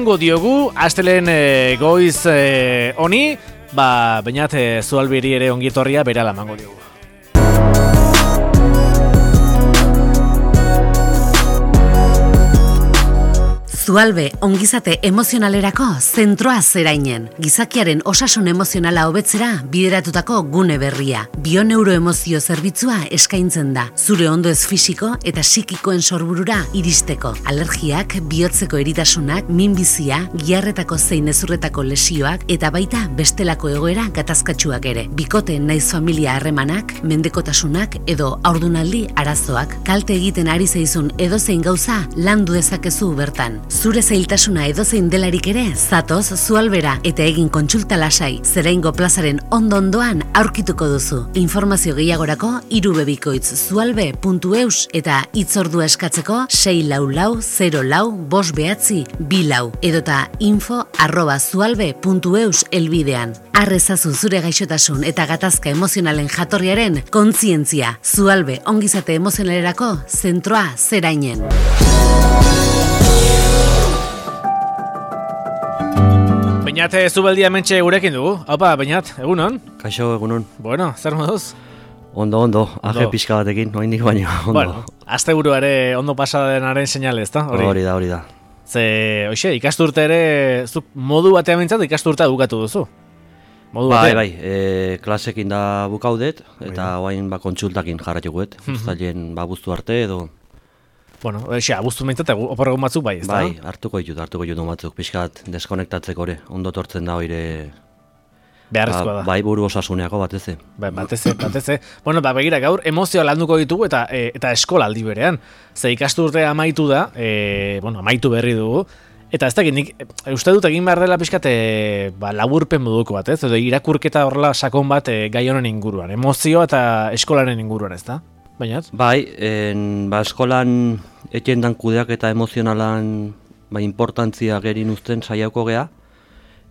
Diogu, astelen goiz honi, bainat Zualbiri ere ongietorria berala emango diogu. Zualbe ongizate emozionalerako zentroa zerainen. Gizakiaren osasun emozionala hobetzera bideratutako gune berria. Bioneuroemozio zerbitzua eskaintzen da. Zure ondoez fisiko eta psikikoen sorburura iristeko. Alergiak, bihotzeko eritasunak, minbizia, giharretako zein ezurretako lesioak eta baita bestelako egoera gatazkatsuak ere. Bikote naiz familia harremanak, mendekotasunak edo haurdunaldi arazoak. Kalte egiten ari zaizun edozein gauza landu dezakezu bertan. Zure zailtasuna edozein delarik ere, zatoz Zualbera eta egin kontsulta lasai, Zeraingo plazaren ondo-ondoan aurkituko duzu. Informazio gehiagorako irubebikoitz.zualbe.eus eta hitzordua eskatzeko 644-04-594 edota info@zualbe.eus elbidean. Arrezazu zure gaixotasun eta gatazka emozionalen jatorriaren kontzientzia. Zualbe ongizate emozionalerako zentroa zerainen. Beñat Zubeldia mentxe gurekin dugu. Haupa, Beñat, egunon? Kaixo, egunon. Bueno, zer moduz? Ondo, aje pixka batekin, oraindik baino, ondo. Bueno, asteburuare ondo pasadenaren seinale, ezta? Hori da. Ze, hoxe, ikasturte ere, zuk modu batean mintzat ikasturtea bukatu duzu. Bai, klasekin da bukaudet, eta oain kontsultakin jarratukuet, uztailen buztu arte edo... Bueno, abuztu mintzat, oporregun batzuk bai, ezta? Bai, hartuko ditut batzuk, pixkat deskonektatzeko ere, ondo tortzen da oire... Beharrezkoa da. Bai, buru osasuneako bateze. Bateze. Bueno, begira, gaur emozioa landuko ditugu eta eskola aldi berean. Ze ikasturtea amaitu da, amaitu berri dugu, eta ez dakit, nik uste dut egin behar dela pixkat laburpen moduko bat, ez? Edo irakurketa horrela sakon bat gai honen inguruan, emozioa eta eskolaren inguruan, ez da? Bainat? Bai, eskolan etxendan kudeak eta emozionalan importantzia gerin uzten saiako gea,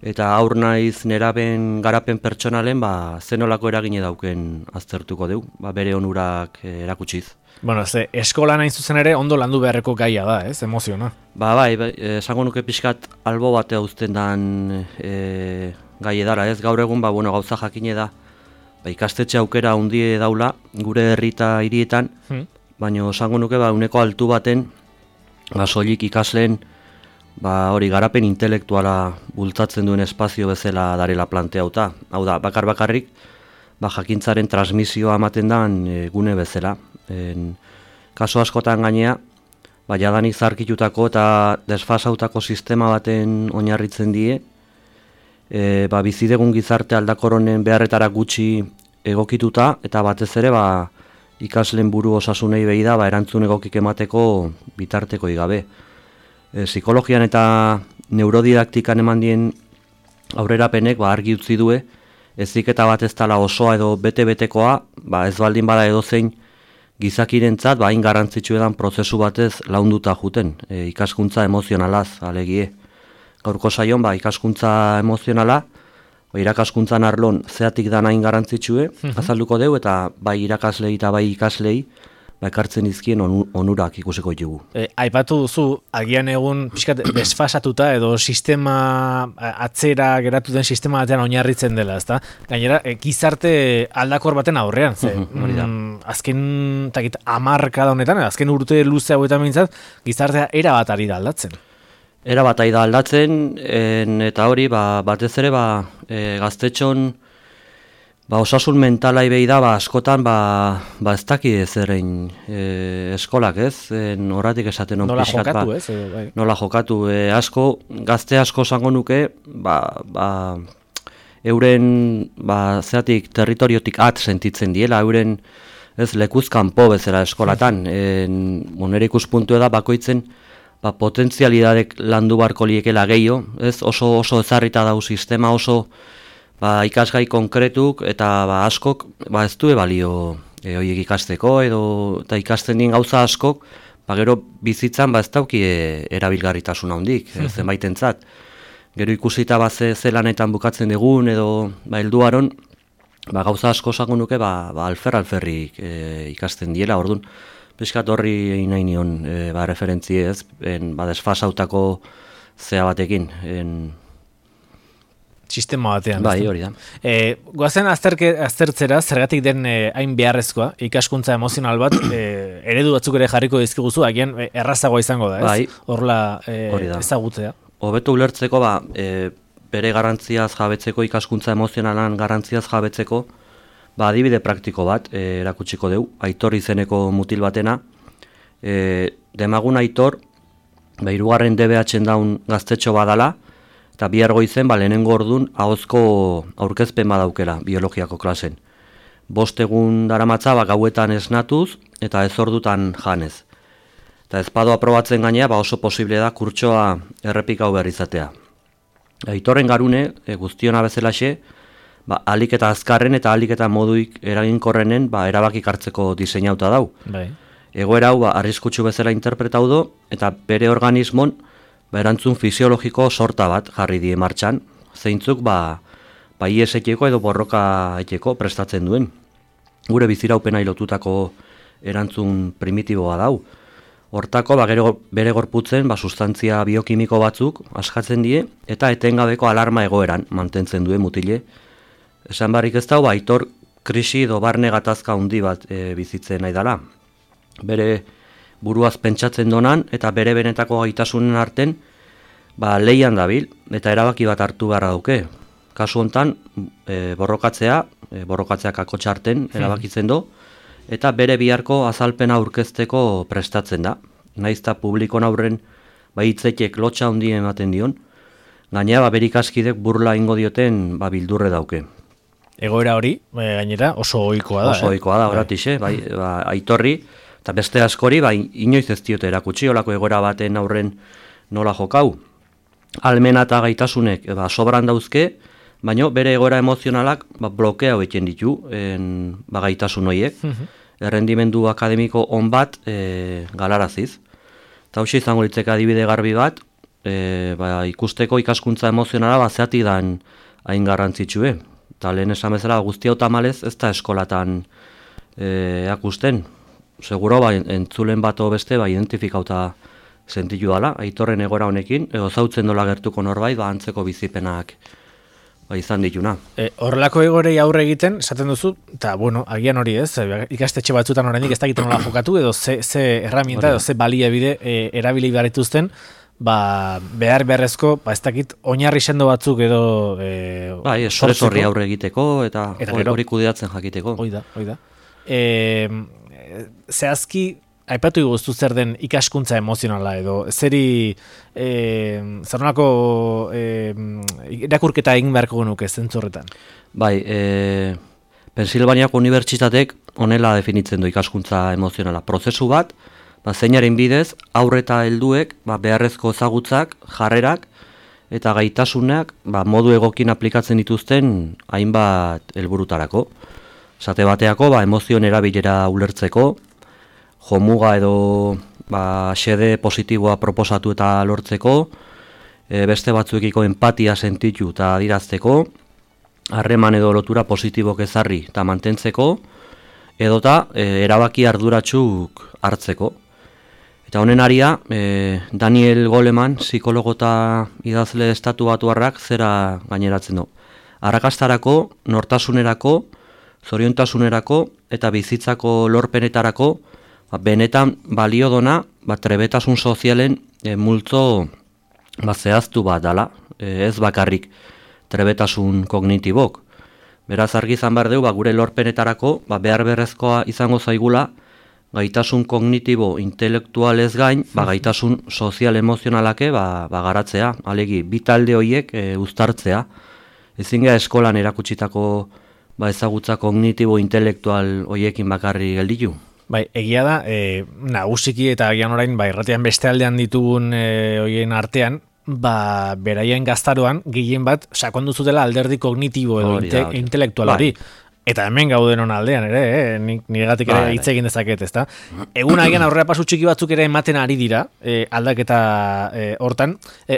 eta aur naiz neraben garapen pertsonalen zenolako eragine dauken aztertuko dugu, bere onurak erakutsiz. Bueno, eskola nahi zuzen ere ondo landu beharreko gaia da, ez, emoziona? Bai, esango nuke pixkat albo batea uzten dan gai edara, ez, gaur egun, gauza jakine da, ikastetxe aukera hundie daula, gure herri eta hirietan, baina esango nuke uneko altu baten, soilik ikasleen, hori garapen intelektuala bultzatzen duen espazio bezala darela planteauta. Hau da, bakarrik, jakintzaren transmisioa ematen dan gune bezala. Kaso askotan gainea, jadanik zarkitutako eta desfasautako sistema baten oinarritzen die, bizidegun gizarte aldakoronen beharretara gutxi egokituta, eta batez ere ikasleen buru osasunei behi da erantzun egokik emateko bitarteko igabe. Psikologian eta neurodidaktikan eman dien aurrerapenek argi utzi due, heziketa bat ez dela osoa edo bete-betekoa, ez baldin bada edozein gizakirentzat hain garrantzitsu edan prozesu batez launduta juten, ikaskuntza emozionalaz, alegie. Gaurko saion, ikaskuntza emozionala, irakaskuntzan arlon zeatik da hain garrantzitsue, azalduko deu, eta bai irakaslei eta bai ikaslei, ekartzen izkien onurak ikusiko ditugu. Aipatu duzu, agian egun pixkat desfasatuta edo sistema atzera geratu den sistema batean oinarritzen dela, ezta? Gainera, gizarte aldakor baten aurrean, azken 10 honetan, azken urte luze hauetan mintzat, gizartea erabat ari da aldatzen. Erabat ari da aldatzen, eta hori, batez ere, gaztetxon, osasun mentalai behi da, askotan, ez daki ezerein eskolak, ez? Horratik esaten nola jokatu, ez? Nola jokatu, gazte asko zango nuke, euren, zeatik, territoriotik sentitzen diela, euren, ez, lekuzkanpo bezala eskolatan. Nire ikuspuntu da, bakoitzen, potentzialidadek landu barko liekela gehiago, ez? Oso ezarrita dau sistema, oso ikasgai konkretuk eta askok ez du balio horiek ikasteko eta ikasten dien gauza askok gero bizitzan ez dauki erabilgarritasuna handik zenbaitentzat. Gero ikusita zelanetan bukatzen dugun edo helduaron gauza asko esango nuke alferrik ikasten diela, orduan pixkat horri nahi nion referentzi ez, desfasautako zea batekin. Sistema batean. Bai, hori da. Goazen aztertzera, zergatik den hain beharrezkoa, ikaskuntza emozional bat, eredu batzuk ere jarriko dizkiguzu, agian errazagoa izango da, ez? Bai, horla ezagutzea. Hobeto ulertzeko, bere garrantziaz jabetzeko, ikaskuntza emozionalan garrantziaz jabetzeko, adibide praktiko bat, erakutsiko deu, Aitor izeneko mutil batena, demagun Aitor, 3. DBH-en daun gaztetxo badala, eta bihar goizen, lehenengo ordun ahozko aurkezpen badaukela biologiako klasen. 5 egun daramatza gauetan esnatuz eta 1 ordutan janez. Eta ezpado aprobatzen gainea oso posible da kurtsoa errepikau behar izatea. Aitorren garune, guztiona bezalaxe, alik eta azkarren eta alik eta moduik eraginkorrenen erabakik hartzeko diseinauta dau. Bai. Egoera hau arriskutsu bezala interpretau do, eta bere organismon erantzun fisiologiko sorta bat jarri die martxan, zeintzuk ies etxeko edo borroka etxeko prestatzen duen. Gure biziraupenai lotutako erantzun primitiboa dau. Hortako bere gorputzen sustantzia biokimiko batzuk askatzen die eta etengabeko alarma egoeran mantentzen duen mutile. Esan barrik ez dau, Aitor krisi edo barne gatazka handi bat bizitzen nahi dela. Bere buruaz pentsatzen donan eta bere benetako gaitasunen arten leian dabil eta erabaki bat hartu beharra duke. Kasu hontan borrokatzeak akotxarten erabakitzen do eta bere biharko azalpena aurkezteko prestatzen da. Naizta publikon aurren hitzetek lotxa handi ematen dion, gainera bere ikaskidek burla ingo dioten bildurre dauke. Egoera hori, gainera, oso ohikoa da. Oso ohikoa da, horatixe, Aitorri, eta beste askori, inoiz ez diote erakutsi, olako egoera baten aurren nola jokau. Almena eta gaitasunek sobran dauzke, baina bere egoera emozionalak blokea hoetzen ditu gaitasun horiek. Errendimendu akademiko on bat galaraziz. Eta hoxe izango litzeka adibide garbi bat, ikusteko ikaskuntza emozionala zeatik dan hain garrantzitsue. Eta lehen esan bezala guzti hau tamalez ez da eskolatan akusten. Seguro entzulen bat beste identifikauta sentitu dala, Aitorren egoera honekin, edo zautzen dola gertuko norbait, antzeko bizipenak izan dituna. Horrelako egorei aurre egiten, esaten duzu, eta agian hori ez, ikastetxe batzutan oraindik ez dakiten nola jokatu, edo ze herramienta, edo ze baliabide erabili behar dituzten, behar beharrezko, ez dakit, oinarri sendo batzuk edo estres horri aurre egiteko, eta hori kudeatzen jakiteko. Hoi da. Zehazki, aipatu guztu zer den ikaskuntza emozionala edo zeri zer nolako irakurketa egin beharko genuke zentzorretan? Pensilvaniako unibertsitatek honela definitzen du ikaskuntza emozionala. Prozesu bat, zeinaren bidez, aurre eta helduek beharrezko ezagutzak, jarrerak eta gaitasunak modu egokin aplikatzen dituzten hainbat helburutarako. Esate bateako, emozioen erabilera ulertzeko, jomuga edo xede positiboa proposatu eta lortzeko, beste batzuekiko empatia sentitu eta adirazteko, harreman edo lotura positibok ezarri eta mantentzeko, edota erabaki arduratsuk hartzeko. Eta honen aria, Daniel Goleman, psikologo eta idazle estatuatuarrak zera gaineratzen du. Arrakastarako, nortasunerako, zoriontasunerako eta bizitzako lorpenetarako benetan balio dona trebetasun sozialen multzo zehaztu bat dala, ez bakarrik trebetasun kognitibok. Beraz argi izan behar dugu gure lorpenetarako behar berrezkoa izango zaigula gaitasun kognitibo intelektualez gain gaitasun sozial emozionalake garatzea, alegi bi talde horiek uztartzea. Ezin gara eskolan erakutsitako ezagutza kognitibo intelektual horiekin bakarri gelditu. Egia da, nagusiki eta agian orain, irratian beste aldean ditugun horien artean, beraien gaztaroan, gehien bat, sakondu zutela alderdi kognitibo edo intelektual hori. Eta hemen gauden aldean ere, niregatik ere hitz egin dezaket, ezta? Egun agian aurrera pasu txiki batzuk ere ematen ari dira, aldaketa hortan,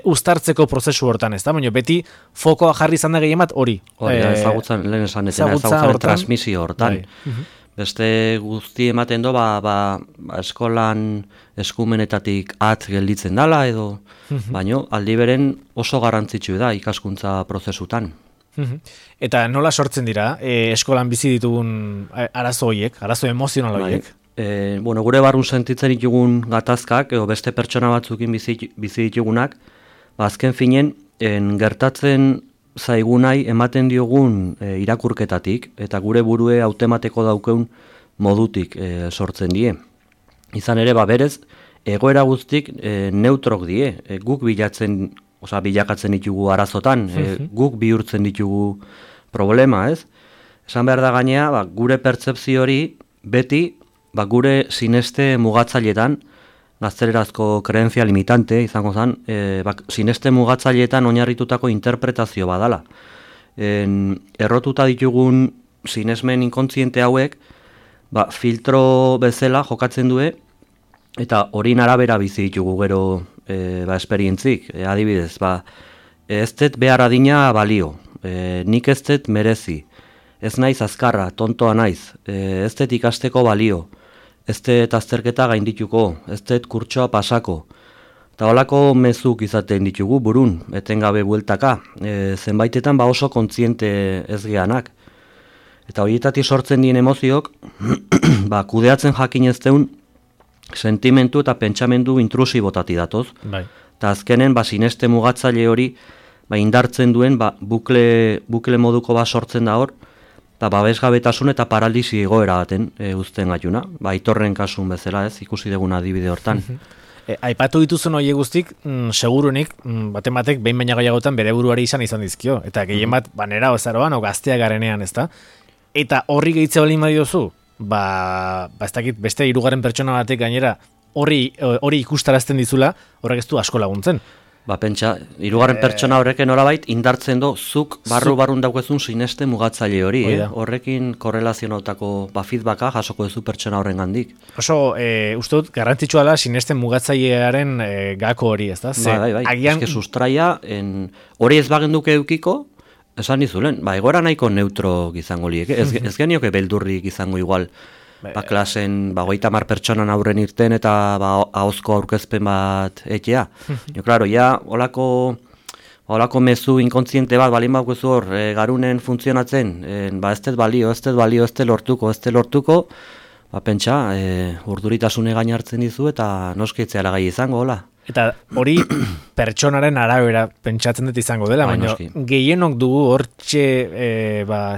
uztartzeko prozesu hortan, ezta? Baina beti fokoa jarri izan da gehien bat hori. Ezagutzan, lehen esan, ezagutzaren transmisio hortan. Beste guzti ematen do, eskolan eskumenetatik at gelditzen dala edo, baino aldi beren oso garrantzitsu da ikaskuntza prozesutan. Eta nola sortzen dira eskolan bizi ditugun arazo horiek, arazo emozional horiek? Gure barrun sentitzen ditugun gatazkak, edo beste pertsona batzukin bizi ditugunak, azken finen, gertatzen zaigunai ematen diogun irakurketatik, eta gure burue hautemateko daukeun modutik sortzen die. Izan ere, berez, egoera guztik neutrok die, guk bilakatzen ditugu arazotan, guk bihurtzen ditugu problema, ez? Esan behar da gainea, gure pertzepzio hori beti, gure sineste mugatzailetan, gaztelerazko kreentzia limitante izango zen, sineste mugatzailetan oinarritutako interpretazio badala. Errotuta ditugun sinesmen inkontziente hauek, filtro bezala jokatzen due, eta horin arabera bizi ditugu gero esperientzik. Adibidez, ez dut behar adina balio, nik ez dut merezi, ez naiz azkarra, tontoa naiz, ez dut ikasteko balio, ez dut azterketa gaindituko, ez dut kurtsoa pasako. Eta holako mezuk izaten ditugu burun, etengabe bueltaka, zenbaitetan oso kontziente ez geanak. Eta horietatik sortzen dien emozioak, kudeatzen jakin ez deun, sentimentu eta pentsamendu intrusibotati datoz. Eta azkenen, sineste mugatzaile hori, indartzen duen, bukle moduko sortzen da hor, eta babesgabetasun eta paralisi egoera baten uzten gaiuna. Aitorren kasun bezala ez, ikusi dugun adibide hortan. Aipatu dituzun horiek guztik, segurunik, batek behin baina gehiagotan bere buruari izan dizkio. Eta gehien bat, nera ozaroan, gaztea garenean, ez da? Eta horri gehitze balin badiozu, ez dakit, beste hirugarren pertsona batek gainera hori ikustarazten dizula, horrek ez du asko laguntzen. Pentsa, hirugarren pertsona horreken norabait indartzen do, zuk barrun daukezun sineste mugatzaile hori, horrekin korrelazionautako feedbacka jasoko duzu pertsona horren gandik. Oso, uste dut, garrantzitsua da sineste mugatzailearen gako hori, ez da? Bai, eske sustraia, hori ez bagenduke eukiko, esan dizulen, egoera nahiko neutro izango liek, ez genioke beldurrik izango igual, klasen 30 pertsonan aurren irten eta ahozko aurkezpen bat etea. Claro, holako mezu inkontziente bat balin bakuzu hor garunen funtzionatzen, ez dut balio, ez dut lortuko, pentsa, urduritasune gain hartzen dizu eta noskitzea lagai izango, hola. Eta hori pertsonaren arabera pentsatzen dut izango dela, baina gehienok dugu hortxe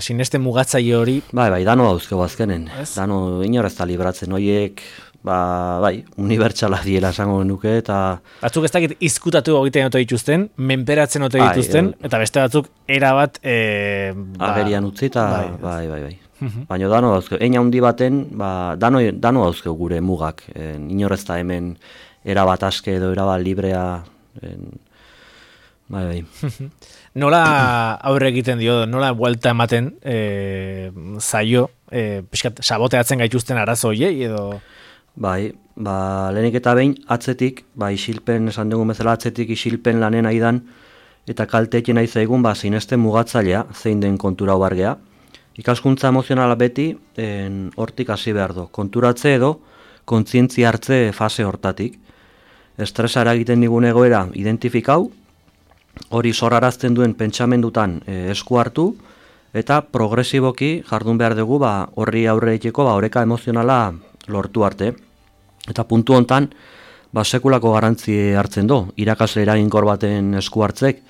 sineste mugatzaile hori. Dano dauzkego azkenen, dano inorez da libratzen horiek, unibertsala diela esango genuke, eta... Batzuk ez dakit izkutatu egiten ote dituzten, menperatzen ote dituzten, eta beste batzuk erabat... Agerian utzi eta, bai. Baina dano dauzkego, eina handi baten, dano dauzkego gure mugak, inorez da hemen... erabat aske edo erabat librea. Bai. Nola aurre egiten dio, nola buelta ematen zaio, pixkat saboteatzen gaituzten arazo hoiei edo? Lehenik eta behin atzetik, isilpen, esan dugun bezala atzetik isilpen lanen aidan, eta kalteekin nahi zaigun, sineste mugatzailea, zein den kontura obargea. Ikaskuntza emozionala beti, hortik hasi behar do. Konturatze edo, kontzientzia hartze fase hortatik. Estresa eragiten digun egoera identifikau, hori zorrarazten duen pentsamendutan esku hartu, eta progresiboki jardun behar dugu horri aurre egiteko oreka emozionala lortu arte. Eta puntu hontan, sekulako garrantzi hartzen do, irakasle eraginkor baten esku hartzek,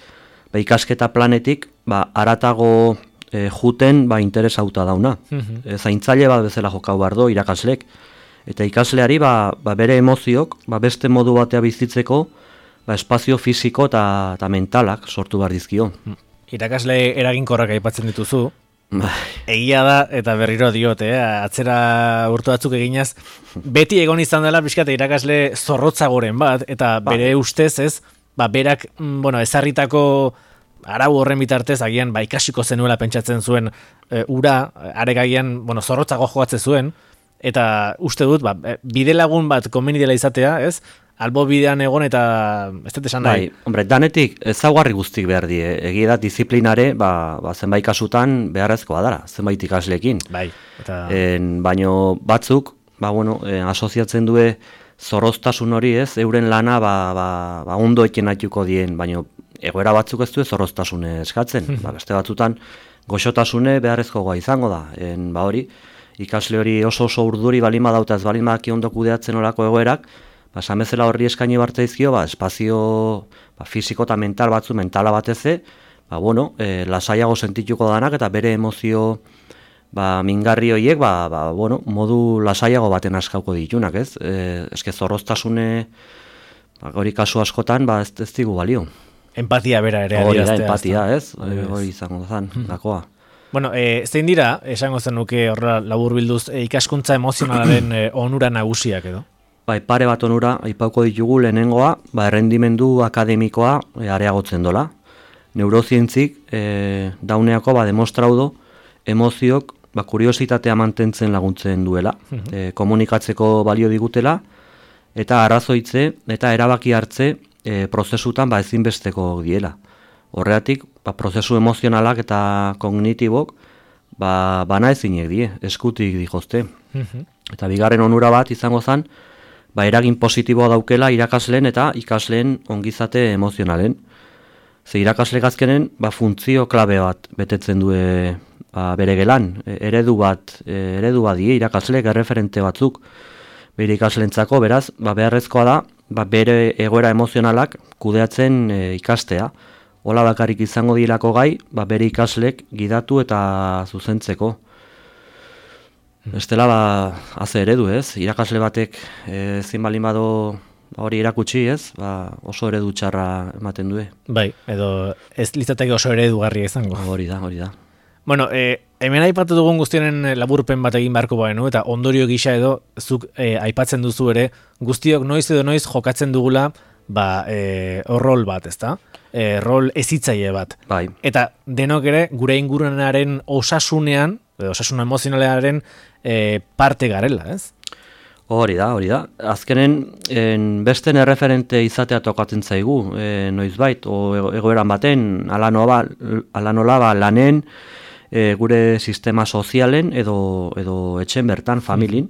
ikasketa planetik haratago juten interesauta dauna. Zaintzaile bat bezala jokau behar do irakaslek, eta ikasleari bere emoziok beste modu batea bizitzeko espazio fisiko eta mentalak sortu behar dizkio. Irakasle eraginkorrak aipatzen dituzu, egia da eta berriro diot, atzera urtu batzuk eginaz, beti egon izan dela pixkat irakasle zorrotzagoren bat, eta bere ustez ez, berak ezarritako arau horren bitartez agian ikasiko zenuela pentsatzen zuen ura, aregagian zorrotzago jogatzen zuen, eta uste dut, bide lagun bat komeni dela izatea, ez? albo bidean egon eta ez dut esan nahi. Hombre, danetik ezaugarri guztik behar die. Egia da disiplinare, zenbait kasutan beharrezkoa dara, zenbait ikasleekin. Bai, eta... Baino batzuk, asoziatzen due zorroztasun hori ez, euren lana ondo eken aituko dien, baino egoera batzuk ez du zorroztasune eskatzen. Beste batzutan goxotasune beharrezkoa izango da. Hori, ikasle hori oso urduri balin badauta ez balin badaki ondo kudeatzen olako egoerak, samezela horri eskaini bartzaizkio, espazio fisiko eta mental batzu, mentala bateze, lasaiago sentituko danak eta bere emozio mingarri horiek, modu lasaiago baten askauko ditunak, ez? Eske zorroztasune, hori kasu askotan, ez digu balio. Empatia bera ere. Hori da, empatia, ez? Hori izango zan, dakoa. Bueno, zein dira, esango zenuke horrela labur bilduz, ikaskuntza emozionalaren onura nagusiak edo? Pare bat onura, aipauko ditugu lehenengoa, errendimendu akademikoa areagotzen dola. Neurozientzik, dauneako demostraudo, emozioak, kuriositatea mantentzen laguntzen duela, komunikatzeko balio digutela, eta arrazoitze eta erabaki hartze prozesutan ezinbesteko diela. Horregatik, prozesu emozionalak eta kognitibok bana ezinek die, eskutik dijozte. Eta bigarren onura bat izango zen, eragin positiboa daukela irakasleen eta ikasleen ongizate emozionalen. Ze irakasle azkenen funtzio klabe bat betetzen du bere gelan, eredu bat die irakasleek erreferente batzuk bere ikaslentzako, beraz, beharrezkoa da, bere egoera emozionalak kudeatzen ikastea. Hola bakarrik izango dilako gai, bere ikaslek gidatu eta zuzentzeko. Bestela, haze eredu, ez? Irakasle batek ezin balin bado hori erakutsi, ez? Oso eredu txarra ematen du. Bai, edo ez litzateke oso eredugarria izango. Hori da. Bueno, hemen aipatu dugun guztionen laburpen bat egin beharko baino, eta ondorio gisa edo zuk aipatzen duzu ere, guztiok noiz edo noiz jokatzen dugula rol bat, ezta? Rol ezitzaile bat. Bai. Eta denok ere gure ingurunaren osasunean, osasun emozionalearen parte garela, ez? Hori da. Azkenen besten erreferente izatea tokatzen zaigu, noizbait, egoeran baten, ala nola lanen, gure sistema sozialen edo etxen bertan, familin.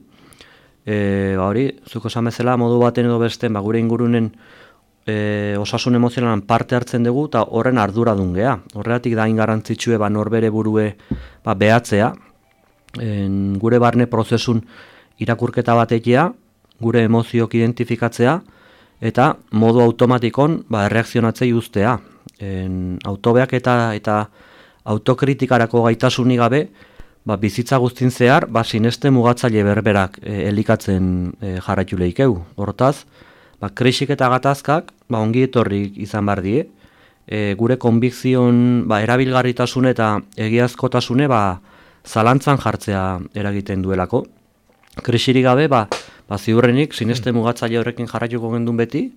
Hori, zuko esan bezala, modu baten edo besten, gure ingurunen osasun emozionalan parte hartzen dugu eta horren arduradun gea. Horregatik da ingarrantzitsue norbere burue behatzea, gure barne prozesun irakurketa batekia, gure emozioak identifikatzea eta modu automatikon erreakzionatzei uztea. Autobeak eta autokritikarako gaitasunik gabe, bizitza guztin zehar, sineste mugatzaile berberak elikatzen jarraitu lehikeu. Hortaz, krisik eta gatazkak ongi etorrik izan behar die, gure konbikzion erabilgarritasun eta egiazkotasune zalantzan jartzea eragiten duelako. Krisirik gabe, ziurrenik sineste mugatzaile horrekin jarraituko gendun beti,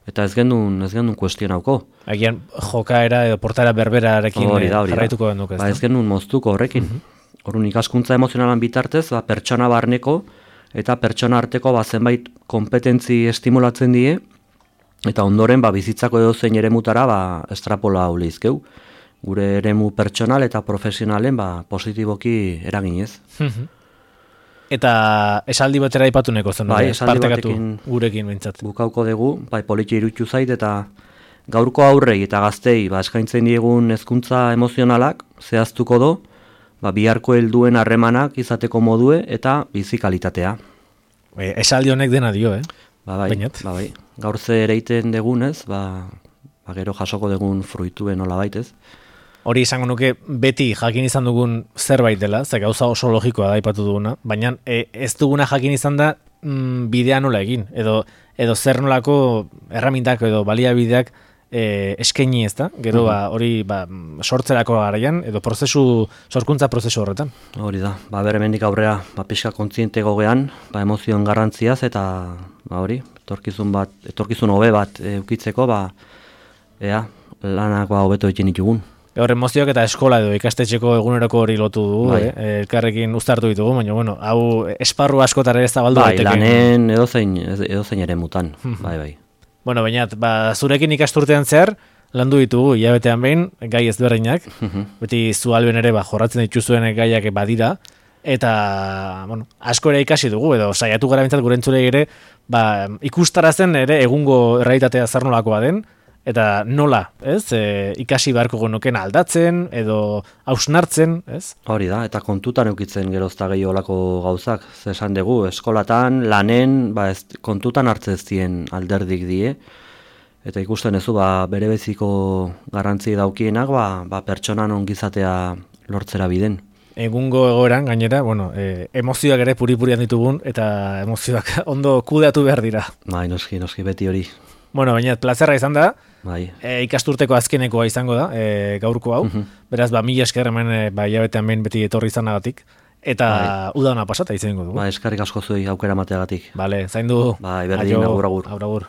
eta ez gendun kuestionauko. Agian jokaera edo portaera berberarekin jarraituko genduk ez. Ez gendun moztuko horrekin. Horun ikaskuntza emozionalan bitartez, pertsona barneko eta pertsona arteko zenbait kompetentzi estimulatzen die, eta ondoren bizitzako edozein eremutara estrapola ulizkeu. Gure eremu pertsonal eta profesionalen positiboki eraginez. Eta esaldi batera ipatuneko zen, partekatu gurekin bintzat. Bukauko dugu, politxe irutxu zait, eta gaurko aurrei eta gaztei eskaintzen diegun hezkuntza emozionalak zehaztuko do, biharko helduen harremanak izateko modue eta bizikalitatea. Esaldi honek dena dio, Bai. Gaur ze ereiten degunez, gero jasoko degun fruituen hola baitez. Hori izango nuke beti jakin izan dugun zerbait dela, ze gauza oso logikoa da aipatu duguna, baina ez duguna jakin izan da bidea nola egin, edo zer nolako erramintak edo baliabideak eskaini ez da, gero hori sortzerako garaian, edo sorkuntza prozesu horretan. Hori da, beremendik aurrea pixka kontziente gogean, emozioen garrantziaz, eta hori, etorkizun hobe bat eukitzeko, lanak hobeto egin ditugun. Gaur emozioak eta eskola edo ikastetxeko eguneroko hori lotu dugu, Bai. elkarrekin uztartu ditugu, baina bueno, hau esparru askotara ez zabaldu Bai, daiteke. lanen edozein ere mutan, bai. Bueno, baina zurekin ikasturtean zehar, landu ditugu hilabetean behin, gai ezberdinak, beti zualben ere jorratzen dituzuen gaiak badira, eta bueno, asko ere ikasi dugu, edo saiatu gara bintzat gure entzulei ere, ikustarazen ere egungo errealitatea zer nolakoa den, eta nola, ez? Ikasi beharko genuken aldatzen, edo hausnartzen, ez? Hori da, eta kontutan eukitzen gerozta gehi olako gauzak, ze esan dugu, eskolatan, lanen, kontutan hartzen zien alderdik die, eta ikusten ezu, bere beziko garrantzi daukienak, pertsonan ongizatea lortzera biden. Egungo egoeran, gainera, bueno, emozioak ere puri-purian ditugun, eta emozioak ondo kudeatu behar dira. Bai, noski beti hori. Bueno, baina plazerra izan da, Bai. Ikasturteko azkenekoa izango da, gaurko hau, beraz, mila esker hemen, hilabetean behin beti etorri izanagatik, eta uda ona pasata izango dugu. Eskarrik asko zuei aukera mateagatik. Vale, zaindu. Bai, berdin, agur. Agur.